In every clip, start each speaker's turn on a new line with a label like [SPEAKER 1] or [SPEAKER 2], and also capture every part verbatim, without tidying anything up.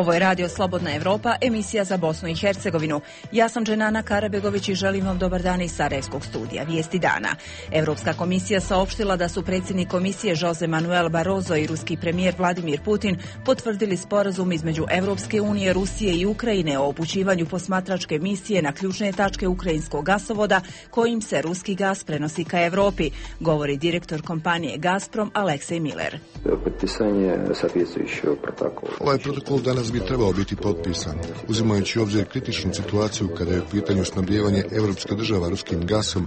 [SPEAKER 1] Ovo je Radio Slobodna Evropa, emisija za Bosnu i Hercegovinu. Ja sam Dženana Karabegović i želim vam dobar dan iz Sarajevskog studija. Vijesti dana. Europska komisija saopštila da su predsjednik komisije Jose Manuel Barroso i ruski premijer Vladimir Putin potvrdili sporazum između Europske unije, Rusije i Ukrajine o upućivanju posmatračke misije na ključne tačke ukrajinskog gasovoda kojim se ruski gas prenosi ka Evropi, govori direktor kompanije Gazprom Aleksej Miller.
[SPEAKER 2] Ovaj protokol danas bi trebao biti potpisan, uzimajući u obzir kritičnu situaciju kada je u pitanju snabdijevanje evropske država ruskim gasom.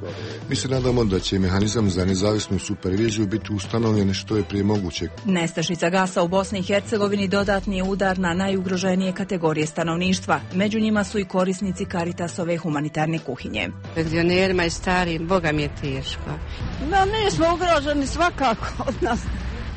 [SPEAKER 2] Mi se nadamo da će mehanizam za nezavisnu superviziju biti ustanovljen što je prije moguće.
[SPEAKER 1] Nestašica gasa u Bosni i Hercegovini dodatni je udar na najugroženije kategorije stanovništva. Među njima su i korisnici Caritasove humanitarne kuhinje.
[SPEAKER 3] Penzionerima i starijim, Boga mi je teško.
[SPEAKER 4] Da, nismo ugroženi svakako od nas.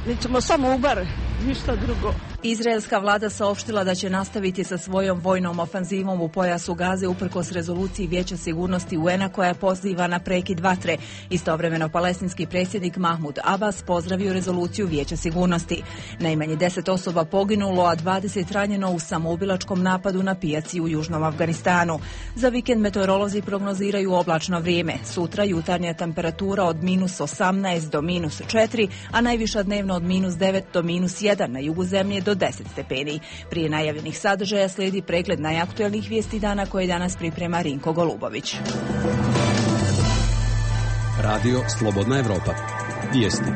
[SPEAKER 4] Mi ćemo samo ubar, ništa drugo.
[SPEAKER 1] Izraelska vlada saopštila da će nastaviti sa svojom vojnom ofanzivom u pojasu Gaze uprkos rezoluciji Vijeća sigurnosti U N A koja poziva na prekid vatre. Istovremeno palestinski predsjednik Mahmud Abbas pozdravio rezoluciju Vijeća sigurnosti. Najmanje deset osoba poginulo, a dvadeset ranjeno u samoubilačkom napadu na pijaci u Južnom Afganistanu. Za vikend meteorolozi prognoziraju oblačno vrijeme. Sutra jutarnja temperatura od minus osamnaest do minus četiri, a najviša dnevno od minus devet do minus jedan, na jugu zemlje do deset stepeni. Prije najavljenih sadržaja slijedi pregled najaktuelnijih vijesti dana koje danas priprema Rinko Golubović.
[SPEAKER 5] Radio Slobodna Evropa. Vijesti.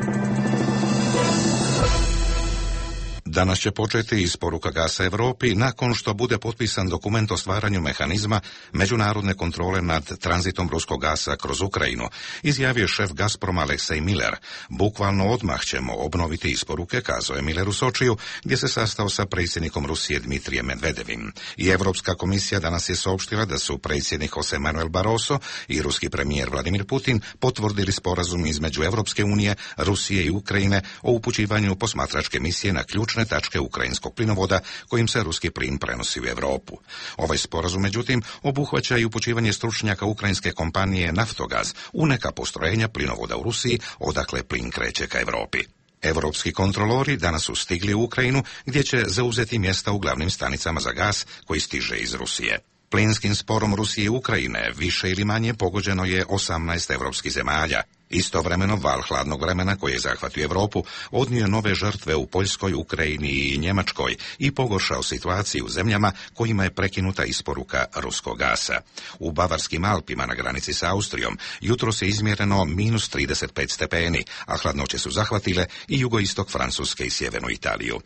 [SPEAKER 6] Danas će početi isporuka gasa Europi nakon što bude potpisan dokument o stvaranju mehanizma međunarodne kontrole nad tranzitom ruskog gasa kroz Ukrajinu, izjavio šef Gazproma Aleksej Miller. Bukvalno odmah ćemo obnoviti isporuke, kazao je Miller u Sočiju, gdje se sastao sa predsjednikom Rusije Dmitrijem Medvedevim. I Europska komisija danas je saopštila da su predsjednik Jose Manuel Barroso i ruski premijer Vladimir Putin potvrdili sporazum između Europske unije, Rusije i Ukrajine o upućivanju posmatračke misije na ključne tačke ukrajinskog plinovoda kojim se ruski plin prenosi u Europu. Ovaj sporazum, međutim, obuhvaća i upućivanje stručnjaka ukrajinske kompanije Naftogaz u neka postrojenja plinovoda u Rusiji, odakle plin kreće ka Europi. Europski kontrolori danas su stigli u Ukrajinu, gdje će zauzeti mjesta u glavnim stanicama za gas koji stiže iz Rusije. Plinskim sporom Rusije i Ukrajine više ili manje pogođeno je osamnaest europskih zemalja. Istovremeno val hladnog vremena koji je zahvatio Europu odnio nove žrtve u Poljskoj, Ukrajini i Njemačkoj i pogoršao situaciju u zemljama kojima je prekinuta isporuka ruskog gasa. U Bavarskim Alpima na granici sa Austrijom jutros je izmjereno minus trideset pet stepeni, a hladnoće su zahvatile i jugoistok Francuske i sjevernu Italiju.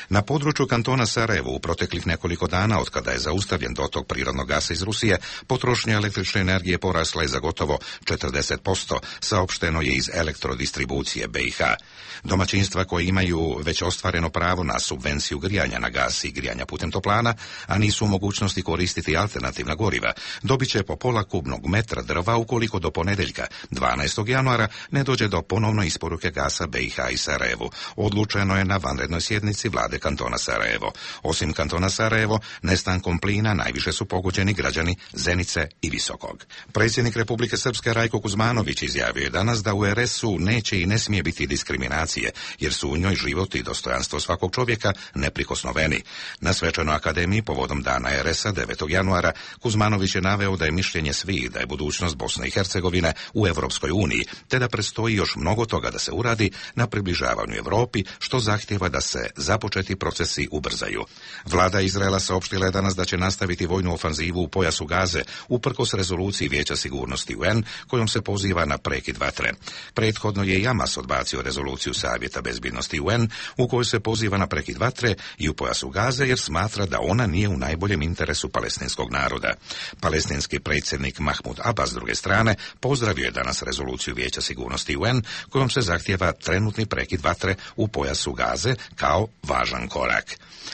[SPEAKER 6] Na području kantona Sarajevo u proteklih nekoliko dana od kada je zaustavljen dotok prirodnog gasa iz Rusije, potrošnja električne energije porasla je za gotovo četrdeset posto, saopšteno je iz elektrodistribucije B i H. Domaćinstva koje imaju već ostvareno pravo na subvenciju grijanja na gas i grijanja putem toplana, a nisu u mogućnosti koristiti alternativna goriva, dobit će po pola kubnog metra drva ukoliko do ponedjeljka, dvanaestog januara, ne dođe do ponovne isporuke gasa B i H i Sarajevu. Odlučeno je na vanrednoj sjednici vlade kantona Sarajevo. Osim kantona Sarajevo, nestankom plina najviše su pogođeni građani Zenice i Visokog. Predsjednik Republike Srpske Rajko Kuzmanović izjavio je danas da u R S-u neće i ne smije biti diskriminacije, jer su u njoj život i dostojanstvo svakog čovjeka neprikosnoveni. Na svečanoj akademiji povodom dana R S-a devetog januara Kuzmanović je naveo da je mišljenje svih da je budućnost Bosne i Hercegovine u Europskoj uniji, te da predstoji još mnogo toga da se uradi na približavanju Europi, što zahtijeva da se započeti procesi ubrzaju. Vlada Izraela saopštila je danas da će nastaviti vojnu ofanzivu u pojasu Gaze, uprkos rezoluciji Vijeća sigurnosti U N kojom se poziva na prekid vatre. Prethodno je i Hamas odbacio rezoluciju Savjeta bezbjednosti U N u kojoj se poziva na prekid vatre i u pojasu Gaze jer smatra da ona nije u najboljem interesu palestinskog naroda. Palestinski predsjednik Mahmud Abbas s druge strane pozdravio je danas rezoluciju Vijeća sigurnosti U N kojom se zahtijeva trenutni prekid vatre u pojasu Gaze kao važan korak.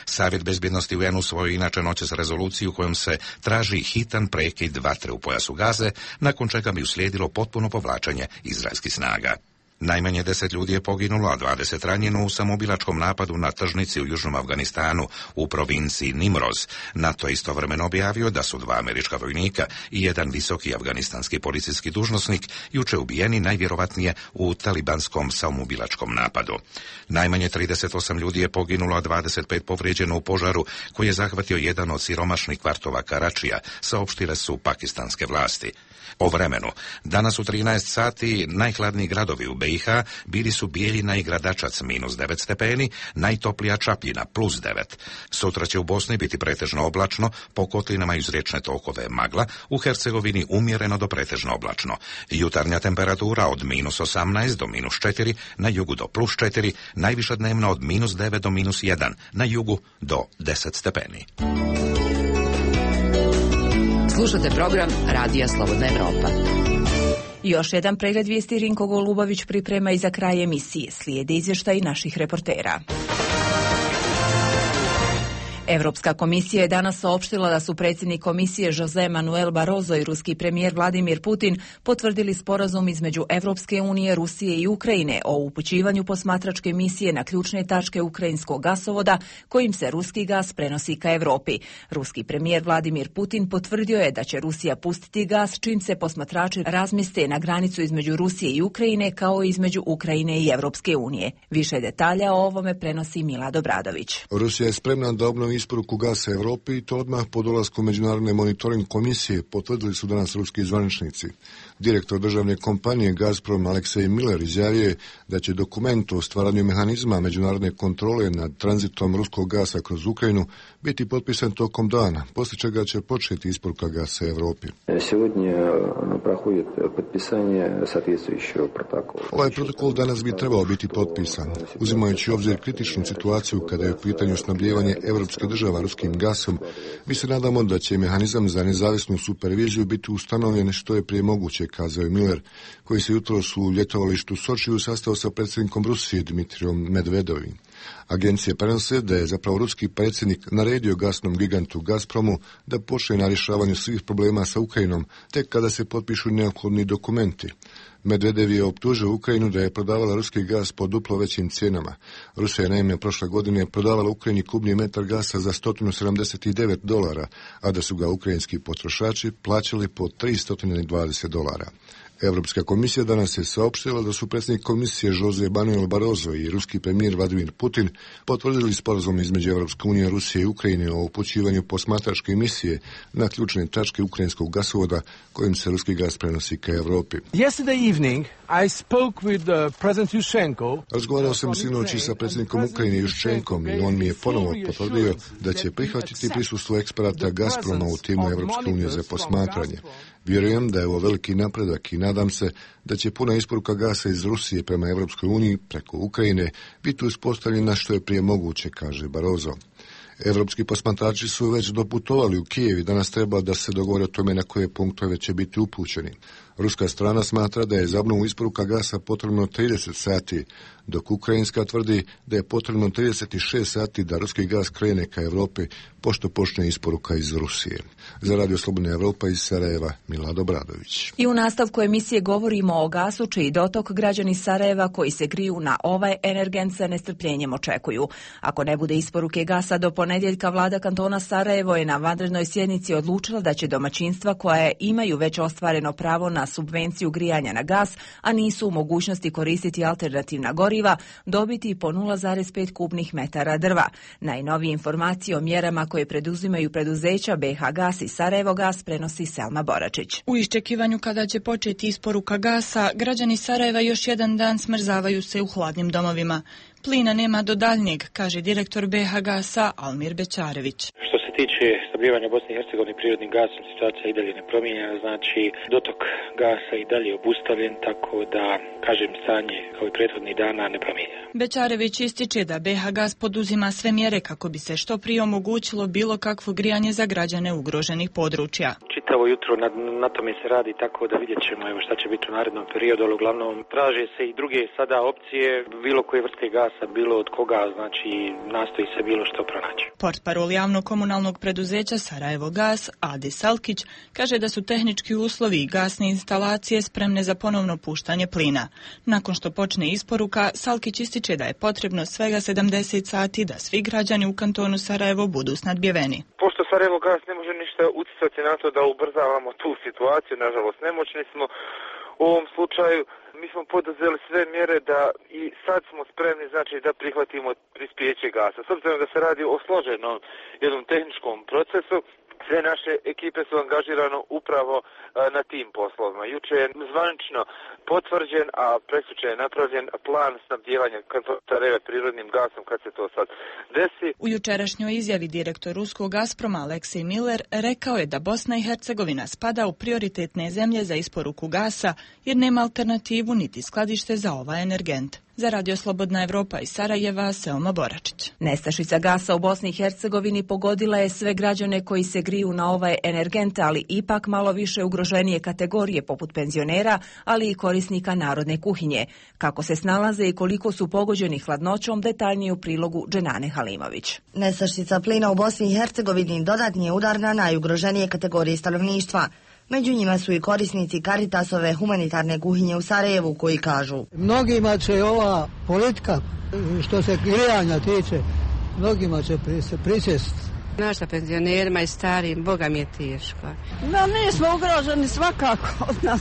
[SPEAKER 6] Savjet bezbjednosti U N usvojio inače noćas rezoluciju kojom se traži hitan prekid vatre u pojasu Gaze, nakon čega bi uslijedilo potpuno povlačenje izraelskih snaga. Najmanje deset ljudi je poginulo, a dvadeset ranjeno u samoubilačkom napadu na tržnici u južnom Afganistanu u provinciji Nimroz. NATO je istovremeno objavio da su dva američka vojnika i jedan visoki afganistanski policijski dužnosnik juče ubijeni najvjerovatnije u talibanskom samoubilačkom napadu. Najmanje trideset osam ljudi je poginulo, a dvadeset pet povrijeđeno u požaru koji je zahvatio jedan od siromašnih kvartova Karačija, saopštile su pakistanske vlasti. O vremenu. Danas u trinaest sati najhladniji gradovi u B i H bili su Bijeljina i Gradačac minus devet stepeni, najtoplija Čapljina plus devet. Sutra će u Bosni biti pretežno oblačno, po kotlinama iz riječne tokove magla, u Hercegovini umjereno do pretežno oblačno. Jutarnja temperatura od minus osamnaest do minus četiri, na jugu do plus četiri, najviša dnevno od minus devet do minus jedan, na jugu do deset stepeni.
[SPEAKER 1] Slušate program Radija Slobodna Evropa. Još jedan pregled vijesti Rinko Golubović priprema i za kraj emisije. Slijede izvještaji naših reportera. Evropska komisija je danas saopštila da su predsjednik komisije José Manuel Barroso i ruski premijer Vladimir Putin potvrdili sporazum između Evropske unije, Rusije i Ukrajine o upućivanju posmatračke misije na ključne tačke ukrajinskog gasovoda kojim se ruski gas prenosi ka Evropi. Ruski premijer Vladimir Putin potvrdio je da će Rusija pustiti gas čim se posmatrači razmjeste na granicu između Rusije i Ukrajine kao i između Ukrajine i Evropske unije. Više detalja o ovome prenosi Milad Obradović.
[SPEAKER 2] Rusija je spremna da obnovi isporuku gasa Evropi i to odmah po dolasku Međunarodne monitoring komisije, potvrdili su danas ruski zvaničnici. Direktor državne kompanije Gazprom Aleksej Miller izjavio je da će dokument o stvaranju mehanizma međunarodne kontrole nad tranzitom ruskog gasa kroz Ukrajinu biti potpisan tokom dana, poslije čega će početi isporuka gasa Evropi. Ovaj protokol danas bi trebao biti potpisan, uzimajući u obzir kritičnu situaciju kada je u pitanju snabdijevanje evropske država ruskim gasom. Mi se nadamo da će mehanizam za nezavisnu superviziju biti ustanovljen što je prije moguće, kazao je Miller, koji se jutros u ljetovalištu Sočiju sastao sa predsjednikom Rusije Dmitrijom Medvedovim. Agencije prenose da je zapravo ruski predsjednik naredio gasnom gigantu Gazpromu da počne na rješavanju svih problema sa Ukrajinom, tek kada se potpišu neophodni dokumenti. Medvedev je optužio Ukrajinu da je prodavala ruski gas po duplo većim cijenama. Rusija je naime prošle godine prodavala Ukrajini kubni metar gasa za sto sedamdeset devet dolara, a da su ga ukrajinski potrošači plaćali po tristo dvadeset dolara. Evropska komisija danas je saopštila da su predsjednik komisije José Manuel Barroso i ruski premijer Vladimir Putin potvrdili sporazum između Evropske unije, Rusije i Ukrajine o upućivanju posmatračke misije na ključne tačke ukrajinskog gasovoda kojim se ruski gas prenosi ka Evropi.
[SPEAKER 7] Yesterday evening I spoke with uh, President Yushchenko.
[SPEAKER 2] Razgovarao sam sinoć sa predsjednikom Ukrajine Juščenkom i on mi je ponovo potvrdio da će prihvatiti prisustvo eksperata Gazproma u timu Evropske unije za posmatranje. Vjerujem da je ovo veliki napredak i nadam se da će puna isporuka gasa iz Rusije prema Evropskoj uniji preko Ukrajine biti uspostavljena što je prije moguće, kaže Barroso. Evropski posmatrači su već doputovali u Kijev i danas treba da se dogovore o tome na koje punktove će biti upućeni. Ruska strana smatra da je za obnovu isporuka gasa potrebno trideset sati, dok ukrajinska tvrdi da je potrebno trideset šest sati da ruski gas krene ka Evropi pošto počne isporuka iz Rusije. Za Radio Slobodna Evropa iz Sarajeva, Milad Obradović.
[SPEAKER 1] I u nastavku emisije govorimo o gasu čiji dotok građani Sarajeva koji se griju na ovaj energent sa nestrpljenjem očekuju. Ako ne bude isporuke gasa do ponedjeljka, vlada kantona Sarajevo je na vanrednoj sjednici odlučila da će domaćinstva koja imaju već ostvareno pravo na subvenciju grijanja na gas, a nisu u mogućnosti koristiti alternativna goriva, dobiti po nula zarez pet kubnih metara drva. Najnovije informacije o mjerama koje preduzimaju preduzeća B H Gas i Sarajevo Gas prenosi Selma Boračić.
[SPEAKER 8] U iščekivanju kada će početi isporuka gasa, građani Sarajeva još jedan dan smrzavaju se u hladnim domovima. Plina nema do daljnjeg, kaže direktor B H Gasa Almir Bećarević.
[SPEAKER 9] Što se tiče snabdijevanja Bosne i Hercegovine prirodnim gasom, situacija i dalje nepromijenjena, znači dotok gasa i dalje obustavljen, tako da, kažem, stanje kao i prethodnih dana nepromijenjeno.
[SPEAKER 8] Bećarević ističe da B H Gas poduzima sve mjere kako bi se što prije omogućilo bilo kakvo grijanje za građane ugroženih područja.
[SPEAKER 9] čitavo jutro na, na tome se radi, tako da vidjet ćemo evo šta će biti u narednom periodu, ali uglavnom traže se i druge sada opcije, bilo koje vrste gasa, bilo od koga, znači nastoji se bilo što pronaći.
[SPEAKER 8] Portparol javno-komunalnog preduzeća Sarajevo Gas, Adi Salkić, kaže da su tehnički uslovi i gasne instalacije spremne za ponovno puštanje plina. Nakon što počne isporuka, Salkić ističe da je potrebno svega sedamdeset sati da svi građani u kantonu Sarajevo budu snadbijeveni.
[SPEAKER 10] Pošto Sarajevo Gas ne može ništa utjecati na to da ubrzavamo tu situaciju, nažalost nemoćni smo u ovom slučaju. Mi smo poduzeli sve mjere da i sad smo spremni, znači da prihvatimo prispijeće gasa. S obzirom da se radi o složenom jednom tehničkom procesu, sve naše ekipe su angažirane upravo na tim poslovima. Juče je zvanično potvrđen, a preksuče je napravljen plan snabdijevanja Sarajeva prirodnim gasom kad se to sad desi.
[SPEAKER 8] U jučerašnjoj izjavi direktor ruskog Gazproma Aleksej Miller rekao je da Bosna i Hercegovina spada u prioritetne zemlje za isporuku gasa jer nema alternativu niti skladište za ovaj energent. Za Radio Slobodna Evropa iz Sarajeva, Selma Boračić.
[SPEAKER 1] Nestašica gasa u Bosni i Hercegovini pogodila je sve građane koji se griju na ovaj energent, ali ipak malo više ugroženije kategorije poput penzionera, ali i korisnika narodne kuhinje. Kako se snalaze i koliko su pogođeni hladnoćom, detaljnije u prilogu Dženane Halimović.
[SPEAKER 11] Nestašica plina u Bosni i Hercegovini dodatni je udar na najugroženije kategorije stanovništva. Među njima su i korisnici Caritasove humanitarne kuhinje u Sarajevu koji kažu:
[SPEAKER 12] mnogima će ova politika, što se grijanja tiče, mnogima će prisjest.
[SPEAKER 3] Naša penzionerima i starim, Boga mi je teško.
[SPEAKER 4] No, nismo ugroženi svakako od nas.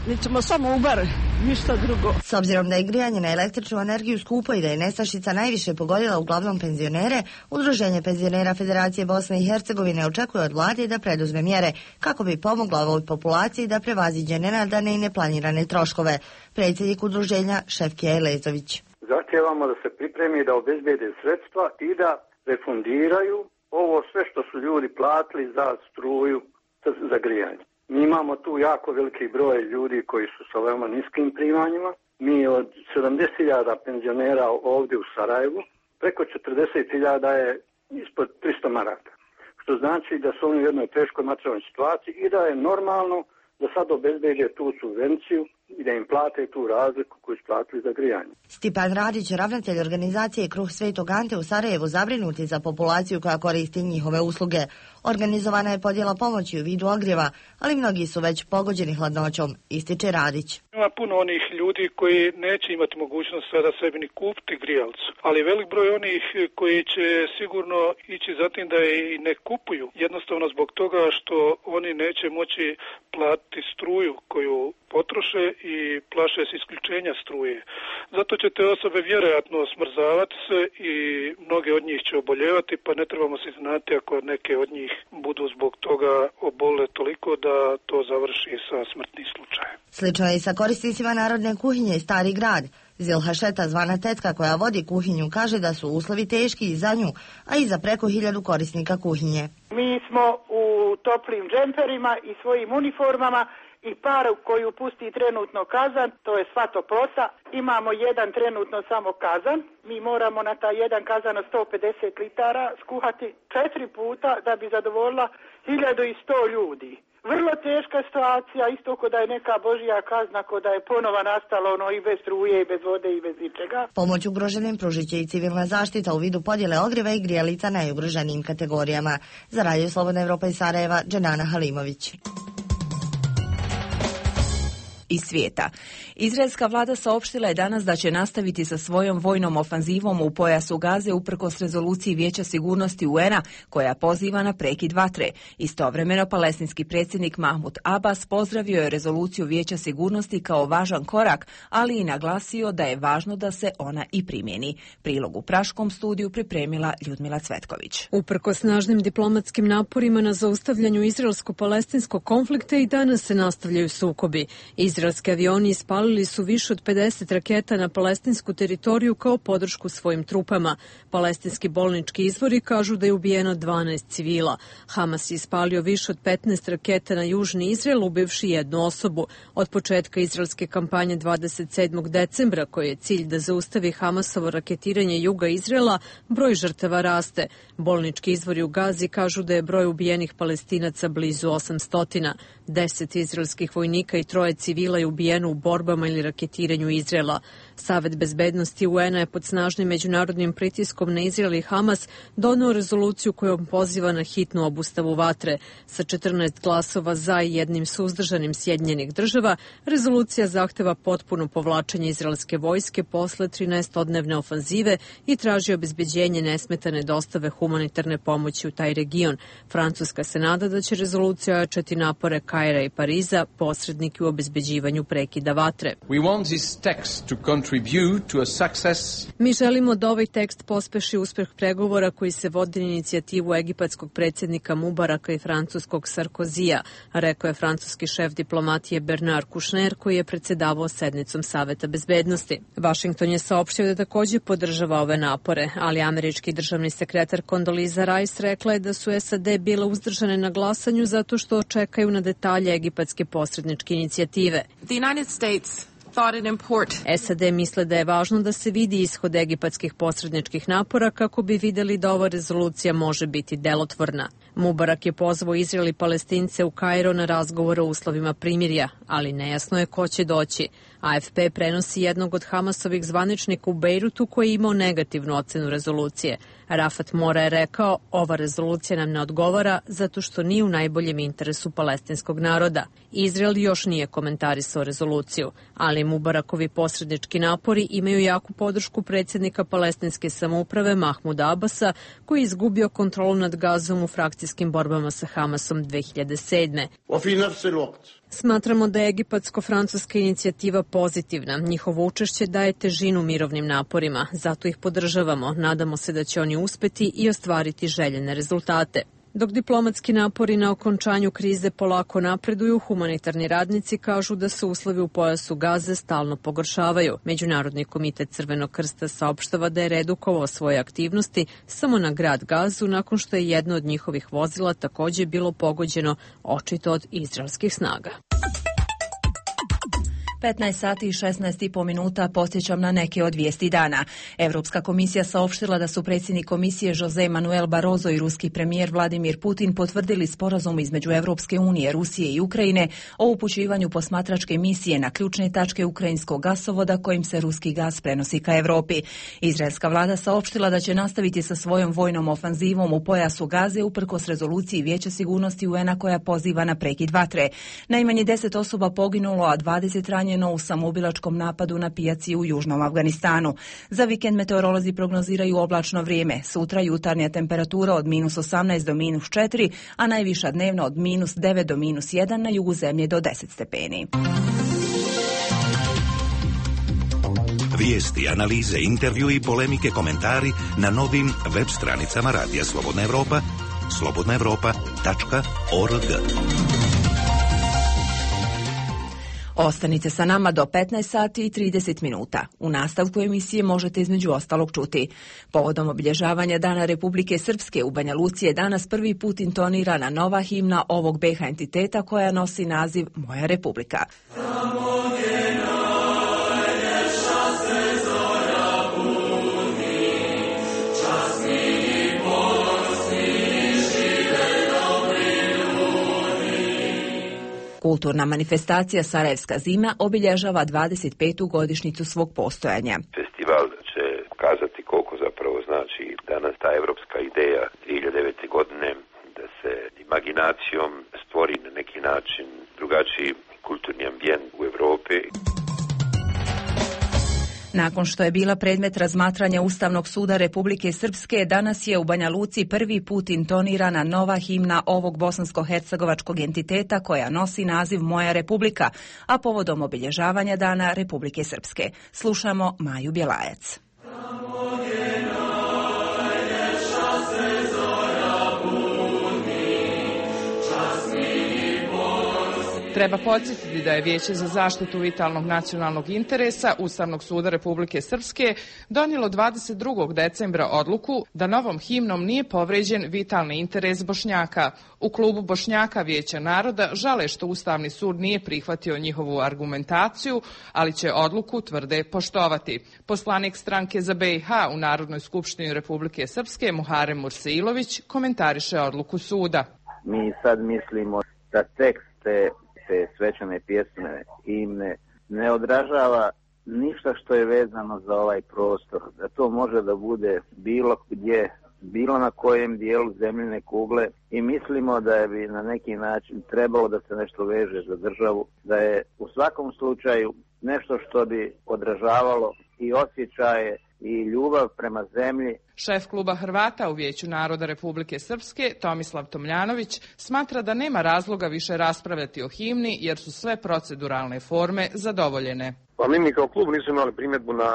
[SPEAKER 4] Mi ćemo samo ubar, ništa drugo.
[SPEAKER 11] S obzirom da je grijanje na električnu energiju skupo i da je nestašica najviše pogodila uglavnom penzionere, Udruženje penzionera Federacije Bosne i Hercegovine očekuje od vlade da preduzme mjere kako bi pomogla ovoj populaciji da prevaziđe nenadane i neplanirane troškove. Predsjednik udruženja Šefkija Elezović.
[SPEAKER 13] Zahtijevamo da se pripremi da obezbede sredstva i da refundiraju ovo sve što su ljudi platili za struju, za grijanje. Mi imamo tu jako veliki broj ljudi koji su sa veoma niskim primanjima. Mi od sedamdeset hiljada penzionera ovdje u Sarajevu, preko četrdeset hiljada je ispod tristo maraka. Što znači da su oni u jednoj teškoj materijalnoj situaciji i da je normalno da sad obezbeđe tu subvenciju i da im plate tu razliku koju su platili za grijanje.
[SPEAKER 11] Stipan Radić, ravnatelj organizacije Kruh Svetog Ante u Sarajevu, zabrinuti za populaciju koja koristi njihove usluge. Organizovana je podjela pomoći u vidu ogrijeva, ali mnogi su već pogođeni hladnoćom, ističe Radić.
[SPEAKER 14] Ima puno onih ljudi koji neće imati mogućnost sada sebi ni kupiti grijalcu, ali velik broj onih koji će sigurno ići za tim da je i ne kupuju, jednostavno zbog toga što oni neće moći platiti struju koju potroše i plaše se isključenja struje. Zato će te osobe vjerojatno smrzavati se i mnoge od njih će oboljevati, pa ne trebamo se znati ako neke od njih budu zbog toga obole toliko da to završi sa smrtnim slučajem.
[SPEAKER 11] Slično je i sa korisnicima narodne kuhinje Stari grad. Zilha Šeta, zvana tetka koja vodi kuhinju, kaže da su uslovi teški i za nju, a i za preko hiljadu korisnika kuhinje.
[SPEAKER 15] Mi smo u toplim džemperima i svojim uniformama i paru koju pusti trenutno kazan, to je sva toplota. Imamo jedan trenutno samo kazan. Mi moramo na taj jedan kazan od sto pedeset litara skuhati četiri puta da bi zadovoljila hiljadu i sto ljudi. Vrlo teška situacija, isto ko da je neka božja kazna, ko da je ponova nastalo ono i bez struje, i bez vode, i bez ničega.
[SPEAKER 11] Pomoć ugroženim pružit će i civilna zaštita u vidu podjele ogrijeva i grijalica najugroženijim kategorijama. Za Radio Slobodna Evropa iz Sarajeva, Dženana Halimović.
[SPEAKER 1] Iz svijeta. Izraelska vlada saopštila je danas da će nastaviti sa svojom vojnom ofanzivom u pojasu Gaze uprkos rezoluciji Vijeća sigurnosti U N A koja poziva na prekid vatre. Istovremeno palestinski predsjednik Mahmud Abbas pozdravio je rezoluciju Vijeća sigurnosti kao važan korak, ali i naglasio da je važno da se ona i primjeni. Prilog u Praškom studiju pripremila Ljudmila Cvetković.
[SPEAKER 16] Uprkos snažnim diplomatskim naporima na zaustavljanju izraelsko-palestinskog konflikta i danas se nastavljaju sukobi. Iz Izraelski avioni ispalili su više od pedeset raketa na palestinsku teritoriju kao podršku svojim trupama. Palestinski bolnički izvori kažu da je ubijeno dvanaest civila. Hamas je ispalio više od petnaest raketa na južni Izrael, ubivši jednu osobu. Od početka izraelske kampanje dvadeset sedmog decembra, koji je cilj da zaustavi Hamasovo raketiranje juga Izraela, broj žrtava raste. Bolnički izvori u Gazi kažu da je broj ubijenih Palestinaca blizu osamsto. Deset izraelskih vojnika i troje civila je ubijeno u borbama ili raketiranju Izraela. Savet bezbednosti U N-a je pod snažnim međunarodnim pritiskom na Izrael i Hamas doneo rezoluciju kojom poziva na hitnu obustavu vatre. Sa četrnaest glasova za i jednim suzdržanim Sjedinjenih država, rezolucija zahteva potpuno povlačenje izraelske vojske posle trinaestodnevne ofanzive i traži obezbeđenje nesmetane dostave humanitarne pomoći u taj region. Francuska se nada da će rezolucija ojačati napore Kaira i Pariza, posredniki u obezbeđivanju prekida vatre.
[SPEAKER 17] We want this text to contribute to a success.
[SPEAKER 16] Mi želimo da ovaj tekst pospeši uspeh pregovora koji se vodi na inicijativu egipatskog predsjednika Mubaraka i francuskog Sarkozija, rekao je francuski šef diplomatije Bernard Kouchner, koji je predsedavao sednicom Saveta bezbednosti. Washington je saopštio da takođe podržava ove napore, ali američki državni sekretar Condoleezza Rice rekla je da su S A D bile uzdržane na glasanju zato što čekaju na detalje egipatske posredničke inicijative.
[SPEAKER 18] The United States
[SPEAKER 16] S A D misle da je važno da se vidi ishod egipatskih posredničkih napora kako bi videli da ova rezolucija može biti delotvorna. Mubarak je pozvao Izrael i Palestince u Kairo na razgovor o uslovima primirja, ali nejasno je ko će doći. A F P prenosi jednog od Hamasovih zvaničnika u Bejrutu koji je imao negativnu ocenu rezolucije. Rafat Mora je rekao, ova rezolucija nam ne odgovara zato što nije u najboljem interesu palestinskog naroda. Izrael još nije komentarisao rezoluciju, ali Mubarakovi posrednički napori imaju jaku podršku predsjednika palestinske samouprave Mahmuda Abasa, koji je izgubio kontrolu nad Gazom u frakcijskim borbama sa Hamasom dve hiljade sedme. Smatramo da je egipatsko-francuska inicijativa pozitivna. Njihovo učešće daje težinu mirovnim naporima, zato ih podržavamo. Nadamo se da će oni uspeti i ostvariti željene rezultate. Dok diplomatski napori na okončanju krize polako napreduju, humanitarni radnici kažu da se uslovi u pojasu Gaze stalno pogoršavaju. Međunarodni komitet Crvenog krsta saopštava da je redukovao svoje aktivnosti samo na grad Gazu nakon što je jedno od njihovih vozila takođe bilo pogođeno očito od izraelskih snaga.
[SPEAKER 1] petnaest sati i šesnaest i po minuta podsjećam na neke od vijesti dana. Evropska komisija saopštila da su predsjednik komisije Jose Manuel Barroso i ruski premijer Vladimir Putin potvrdili sporazum između Evropske unije, Rusije i Ukrajine o upućivanju posmatračke misije na ključne tačke ukrajinskog gasovoda kojim se ruski gas prenosi ka Evropi. Izraelska vlada saopštila da će nastaviti sa svojom vojnom ofanzivom u pojasu Gaze uprkos rezoluciji Vijeća sigurnosti U N-a koja poziva na prekid vatre. Najmanje deset osoba poginulo, a dvadeset ranjeno u samoubilačkom napadu na pijaci u južnom Afganistanu. Za vikend meteorolozi prognoziraju oblačno vrijeme. Sutra jutarnja temperatura od minus osamnaest do minus četiri, a najviša dnevno od minus devet do minus jedan, na jugu zemlje do deset stepeni.
[SPEAKER 6] Vijesti, analize, intervju i polemike, komentari na novim web stranicama Radija Slobodna Evropa, slobodna evropa tačka org.
[SPEAKER 1] Ostanite sa nama do petnaest sati i trideset minuta. U nastavku emisije možete između ostalog čuti. Povodom obilježavanja Dana Republike Srpske u Banja Luci je danas prvi put intonirana nova himna ovog B H entiteta koja nosi naziv Moja Republika. Kulturna manifestacija Sarajevska zima obilježava dvadeset petu godišnjicu svog postojanja.
[SPEAKER 19] Festival će pokazati koliko zapravo znači danas ta evropska ideja dvije hiljade devete. godine da se imaginacijom stvori na neki način drugačiji kulturni ambijent u Evropi.
[SPEAKER 1] Nakon što je bila predmet razmatranja Ustavnog suda Republike Srpske, danas je u Banja Luci prvi put intonirana nova himna ovog bosansko-hercegovačkog entiteta koja nosi naziv Moja Republika, a povodom obilježavanja Dana Republike Srpske. Slušamo Maju Bjelajac.
[SPEAKER 18] Treba podsjetiti da je Vijeće za zaštitu vitalnog nacionalnog interesa Ustavnog suda Republike Srpske donijelo dvadeset drugog decembra odluku da novom himnom nije povređen vitalni interes Bošnjaka. U klubu Bošnjaka Vijeća naroda žale što Ustavni sud nije prihvatio njihovu argumentaciju, ali će odluku tvrde poštovati. Poslanik stranke za B i H u Narodnoj skupštini Republike Srpske Muharem Mursailović komentariše odluku suda.
[SPEAKER 20] Mi sad mislimo da tekste te svečane pjesme himne ne odražava ništa što je vezano za ovaj prostor, da to može da bude bilo gdje, bilo na kojem dijelu zemljine kugle i mislimo da je bi na neki način trebalo da se nešto veže za državu, da je u svakom slučaju nešto što bi odražavalo i osjećaje i ljubav prema zemlji.
[SPEAKER 18] Šef kluba Hrvata u Vijeću naroda Republike Srpske, Tomislav Tomljanović, smatra da nema razloga više raspravljati o himni jer su sve proceduralne forme zadovoljene.
[SPEAKER 21] Pa mi kao klub nismo imali primjedbu na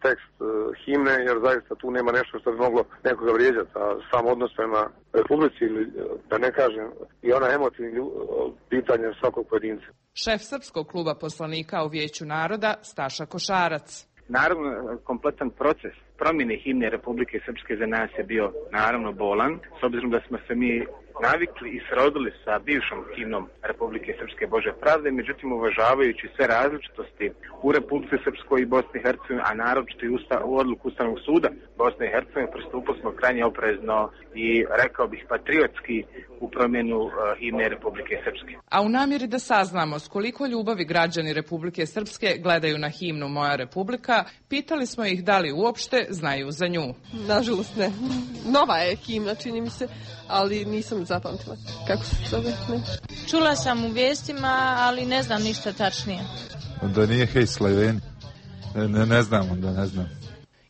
[SPEAKER 21] tekst uh, himne jer zaista tu nema nešto što bi moglo nekoga vrijeđati, a sam odnos prema Republici ili da ne kažem i ona emotivna uh, pitanja svakog pojedinca.
[SPEAKER 18] Šef Srpskog kluba poslanika u Vijeću naroda Staša Košarac.
[SPEAKER 22] Naravno, kompletan proces promjene himne Republike Srpske za nas je bio naravno bolan, s obzirom da smo se mi navikli i srodili sa bivšom himnom Republike Srpske Bože pravde, međutim uvažavajući sve različitosti u Republike Srpskoj i Bosni i Hercegovini, a naročito i usta, u odluku Ustavnog suda Bosne i Hercegovine, pristupili smo krajnje oprezno i rekao bih patriotski u promjenu uh, himne Republike Srpske.
[SPEAKER 18] A u namjeri da saznamo s koliko ljubavi građani Republike Srpske gledaju na himnu Moja Republika, pitali smo ih da li uopšte znaju za nju.
[SPEAKER 23] Nažalost ne. Nova je himna, čini mi se, ali nisam zapamtila. Kako se zove? Ne.
[SPEAKER 24] Čula sam u vijestima, ali ne znam ništa tačnije.
[SPEAKER 25] Onda nije Hej Slajveni. Ne, ne znam, onda ne znam.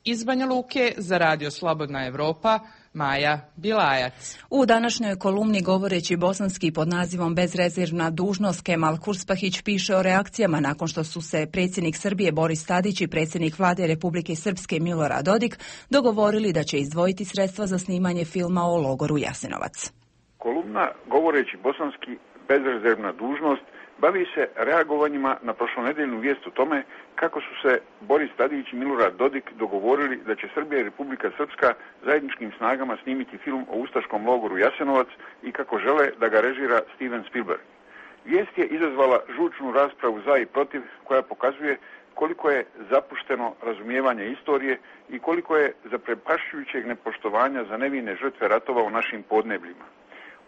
[SPEAKER 18] Iz Banja Luke za Radio Slobodna Evropa, Maja Bilajac.
[SPEAKER 1] U današnjoj kolumni govoreći bosanski pod nazivom Bezrezervna dužnost Kemal Kurspahić piše o reakcijama nakon što su se predsjednik Srbije Boris Tadić i predsjednik vlade Republike Srpske Milorad Dodik dogovorili da će izdvojiti sredstva za snimanje filma o logoru Jasenovac.
[SPEAKER 26] Kolumna govoreći bosanski Bezrezervna dužnost bavi se reagovanjima na prošlonedeljnu vijest o tome kako su se Boris Tadić i Milorad Dodik dogovorili da će Srbija i Republika Srpska zajedničkim snagama snimiti film o ustaškom logoru Jasenovac i kako žele da ga režira Steven Spielberg. Vijest je izazvala žučnu raspravu za i protiv koja pokazuje koliko je zapušteno razumijevanje istorije i koliko je zaprepašćujućeg nepoštovanja za nevine žrtve ratova u našim podnebljima.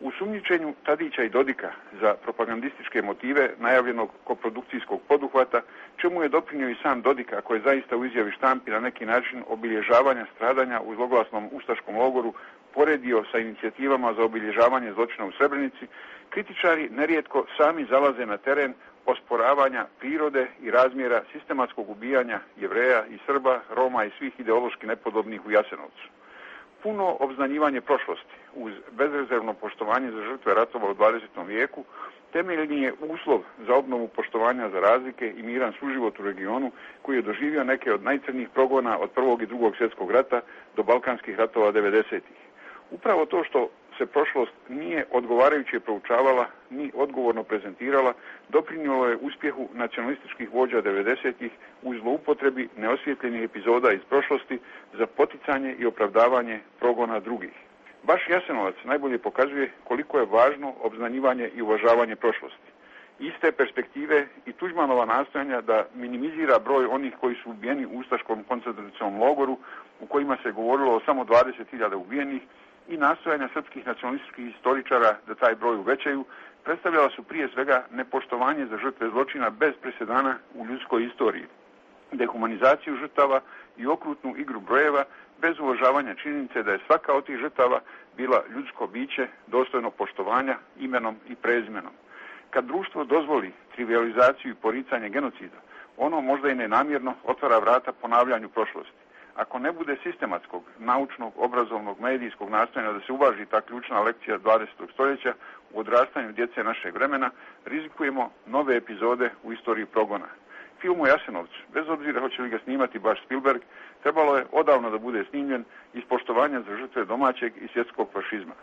[SPEAKER 26] U sumnjičenju Tadića i Dodika za propagandističke motive najavljenog koprodukcijskog poduhvata, čemu je doprinio i sam Dodik, ako je zaista u izjavi štampi na neki način obilježavanja stradanja u zloglasnom ustaškom logoru poredio sa inicijativama za obilježavanje zločina u Srebrenici, kritičari nerijetko sami zalaze na teren osporavanja prirode i razmjera sistematskog ubijanja Jevreja i Srba, Roma i svih ideološki nepodobnih u Jasenovcu. Puno obznanjivanje prošlosti uz bezrezervno poštovanje za žrtve ratova u dvadesetom vijeku temeljni je uslov za obnovu poštovanja za razlike i miran suživot u regionu koji je doživio neke od najcrnijih progona od Prvog i Drugog svjetskog rata do balkanskih ratova devedesetih. Upravo to što se prošlost nije odgovarajuće proučavala ni odgovorno prezentirala doprinijelo je uspjehu nacionalističkih vođa devedesetih u zloupotrebi neosvjetljenih epizoda iz prošlosti za poticanje i opravdavanje progona drugih. Baš Jasenovac najbolje pokazuje koliko je važno obznanjivanje i uvažavanje prošlosti. Iste perspektive i Tuđmanova nastojanja da minimizira broj onih koji su ubijeni u ustaškom koncentracionom logoru u kojima se govorilo o samo dvadeset hiljada ubijenih i nastojanja srpskih nacionalističkih historičara da taj broj uvećaju, predstavljala su prije svega nepoštovanje za žrtve zločina bez presedana u ljudskoj istoriji, dehumanizaciju žrtava i okrutnu igru brojeva bez uvažavanja činjenice da je svaka od tih žrtava bila ljudsko biće dostojno poštovanja imenom i prezimenom. Kad društvo dozvoli trivializaciju i poricanje genocida, ono možda i nenamjerno otvara vrata ponavljanju prošlosti. Ako ne bude sistematskog, naučnog, obrazovnog, medijskog nastojanja da se uvaži ta ključna lekcija dvadesetog stoljeća u odrastanju djece našeg vremena, rizikujemo nove epizode u istoriji progona. Film o Jasenovcu, bez obzira hoće li ga snimati baš Spielberg, trebalo je odavno da bude snimljen iz poštovanja za žrtve domaćeg i svjetskog fašizma.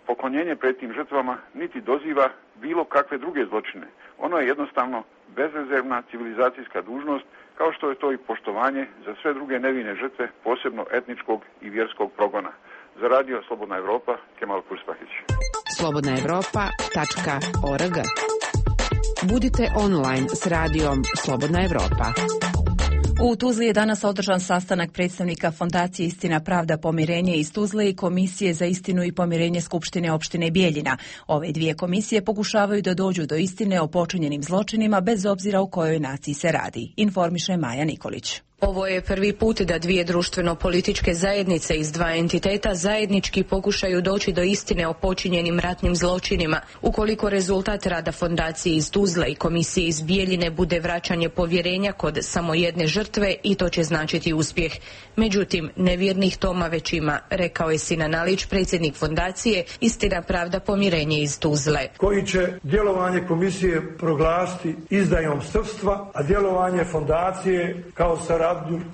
[SPEAKER 26] Poklonjenje pred tim žrtvama niti doziva bilo kakve druge zločine, Ono je jednostavno bezrezervna civilizacijska dužnost, kao što je to i poštovanje za sve druge nevine žrtve, posebno etničkog i vjerskog progona. Za radio Slobodna Evropa, Kemal Kurspahić.
[SPEAKER 2] slobodna evropa tačka org. Budite online s radijom Slobodna Evropa.
[SPEAKER 1] U Tuzli je danas održan sastanak predstavnika Fondacije Istina, pravda, pomirenje iz Tuzle i Komisije za istinu i pomirenje Skupštine opštine Bijeljina. Ove dvije komisije pokušavaju da dođu do istine o počinjenim zločinima bez obzira o kojoj naciji se radi, informiše Maja Nikolić.
[SPEAKER 5] Ovo je prvi put da dvije društveno-političke zajednice iz dva entiteta zajednički pokušaju doći do istine o počinjenim ratnim zločinima. Ukoliko rezultat rada Fondacije iz Tuzle i Komisije iz Bijeljine bude vraćanje povjerenja kod samo jedne žrtve, i to će značiti uspjeh. Međutim, nevjernih toma već ima, rekao je Sinan Alić, predsjednik Fondacije Istina, pravda, pomirenje iz Tuzle.
[SPEAKER 7] Koji će djelovanje komisije proglasiti izdajom srpstva, a djelovanje Fondacije kao saradnju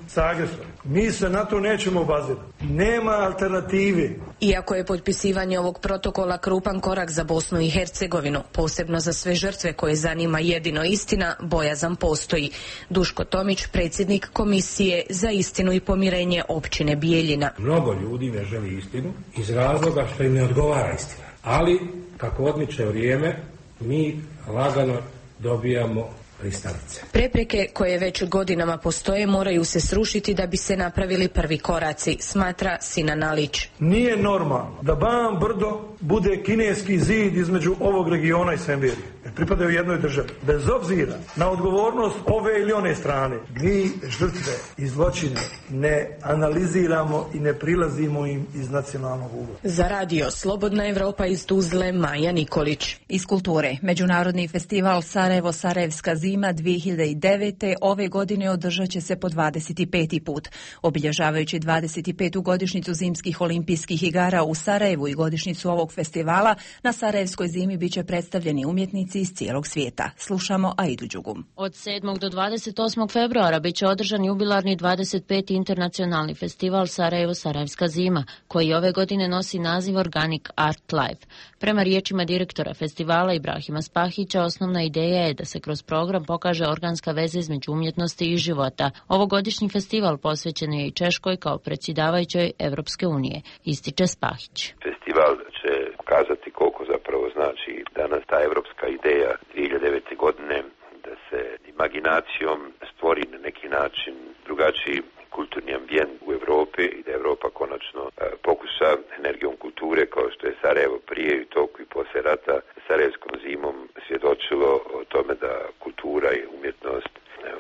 [SPEAKER 7] sa agresorom. Mi se na to nećemo obazirati. Nema alternative.
[SPEAKER 5] Iako je potpisivanje ovog protokola krupan korak za Bosnu i Hercegovinu, posebno za sve žrtve koje zanima jedino istina, bojazan postoji. Duško Tomić, predsjednik Komisije za istinu i pomirenje općine Bijeljina.
[SPEAKER 8] Mnogo ljudi ne želi istinu iz razloga što im ne odgovara istina. Ali, kako odmiče vrijeme, mi lagano dobijamo pristalice.
[SPEAKER 5] Prepreke koje već godinama postoje moraju se srušiti da bi se napravili prvi koraci, smatra Sinan Alić.
[SPEAKER 7] Nije normalno da Ban Brdo bude kineski zid između ovog regiona i Semberije. Pripadaju jednoj državi. Bez obzira na odgovornost ove ili one strane, mi žrtve i zločine ne analiziramo i ne prilazimo im iz nacionalnog ugla.
[SPEAKER 5] Za radio Slobodna Evropa iz Tuzle, Maja Nikolić.
[SPEAKER 1] Iz kulture, Međunarodni festival Sarajevo Sarajevska zima dvije hiljade devete. ove godine održat će se po dvadeset peti put. Obilježavajući dvadeset petu godišnjicu zimskih olimpijskih igara u Sarajevu i godišnjicu ovog festivala, na Sarajevskoj zimi biće predstavljeni umjetnici iz cijelog svijeta. Slušamo Aidu Đugum.
[SPEAKER 9] Od sedmog do dvadeset osmog februara biće održan jubilarni dvadeset peti internacionalni festival Sarajevo Sarajevska zima, koji ove godine nosi naziv Organic Art Life. Prema riječima direktora festivala Ibrahima Spahića, osnovna ideja je da se kroz program pokaže organska veza između umjetnosti i života. Ovogodišnji festival posvećen je i Češkoj kao predsjedavajućoj Evropske unije, ističe Spahić.
[SPEAKER 19] Festival će pokazati koliko zapravo znači danas ta evropska ideja dvije hiljade devete. godine da se imaginacijom stvori na neki način drugačiji kulturni ambijent u Europi i da Europa konačno e, pokuša energijom kulture, kao što je Sarajevo prije i toku i poslije rata Sarajevskom zimom svjedočilo o tome da kultura i umjetnost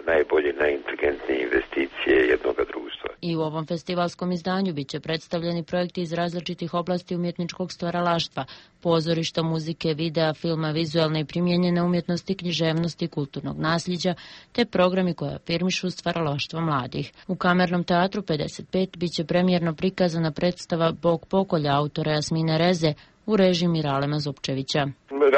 [SPEAKER 19] najbolje, najinteligentnije investicije jednog društva.
[SPEAKER 9] I u ovom festivalskom izdanju bit će predstavljeni projekti iz različitih oblasti umjetničkog stvaralaštva, pozorišta, muzike, videa, filma, vizualne i primijenjene umjetnosti, književnosti, kulturnog nasljeđa, te programi koje afirmišu stvaralaštvo mladih. U Kamernom teatru pedeset pet bit će premijerno prikazana predstava Bog pokolja autora Jasmine Reze u režiji Miralema Zupčevića.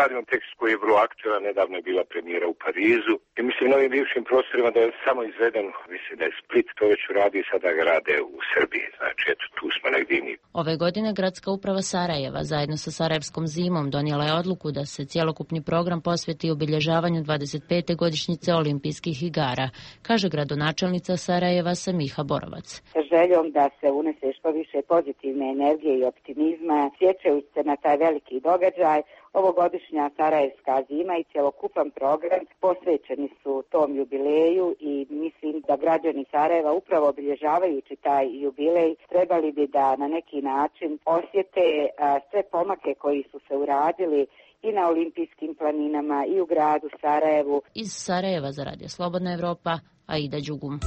[SPEAKER 10] Radimo tekst koji je vrlo aktualan, nedavno je bila premijera u Parizu i mislim na ovim bivšim prostorima da je samo izveden, mislim da je Split to već uradi i sada ga rade u Srbiji, znači eto tu smo negdje mi.
[SPEAKER 9] Ove godine Gradska uprava Sarajeva zajedno sa Sarajevskom zimom donijela je odluku da se cjelokupni program posveti obilježavanju dvadeset pete godišnjice olimpijskih igara, kaže gradonačelnica Sarajeva Samiha Borovac.
[SPEAKER 27] Sa željom da se unese što više pozitivne energije i optimizma, sjećajući se na taj veliki događaj, ovogodišnja Sarajevska zima i cjelokupan program posvećeni su tom jubileju i mislim da građani Sarajeva upravo obilježavajući taj jubilej trebali bi da na neki način osjete a, sve pomake koji su se uradili i na olimpijskim planinama i u gradu Sarajevu.
[SPEAKER 9] Iz Sarajeva za Radio Slobodna Evropa, Aida Đugum.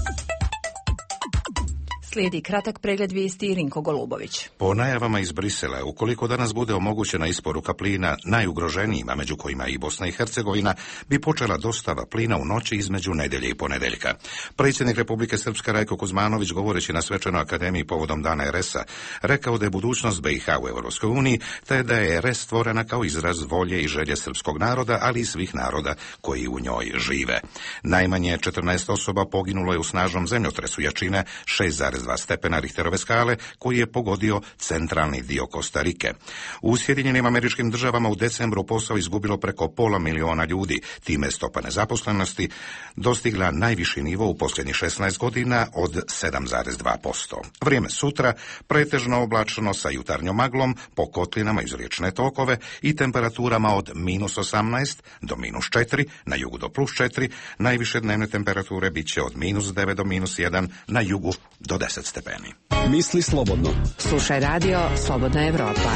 [SPEAKER 1] Slijedi kratak pregled vijesti Rinko Golubović.
[SPEAKER 6] Po najavama iz Brisela, ukoliko danas bude omogućena isporuka plina najugroženijima, među kojima i Bosna i Hercegovina, bi počela dostava plina u noći između nedjelje i ponedjeljka. Predsjednik Republike Srpske Rajko Kuzmanović, govoreći na Svečanoj akademiji povodom Dana er es a, rekao da je budućnost be i ha u Europskoj uniji, te da je er es stvorena kao izraz volje i želje srpskog naroda, ali i svih naroda koji u njoj žive. Najmanje četrnaest osoba poginulo je u snažnom zemljotresu jačine šest zarez zarez dva stepena Richterove skale koji je pogodio centralni dio Kostarike. U Sjedinjenim Američkim Državama u decembru posao izgubilo preko pola miliona ljudi, time stopa nezaposlenosti dostigla najviši nivo u posljednjih šesnaest godina od sedam zarez dva posto. Vrijeme sutra pretežno oblačno sa jutarnjom maglom po kotlinama iz riječne tokove i temperaturama od minus osamnaest do minus četiri, na jugu do plus četiri, najviše dnevne temperature bit će od minus devet do minus jedan, na jugu do deset stepeni.
[SPEAKER 3] Misli slobodno.
[SPEAKER 2] Slušaj radio Slobodna Evropa.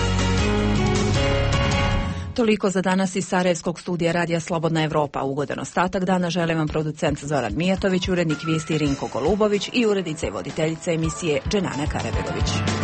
[SPEAKER 1] Toliko za danas iz Sarajevskog studija radija Slobodna Evropa. Ugodan ostatak dana želim vam producent Zoran Mijatović, urednik vijesti Rinko Golubović i urednica i voditeljica emisije Dženana Karabegović.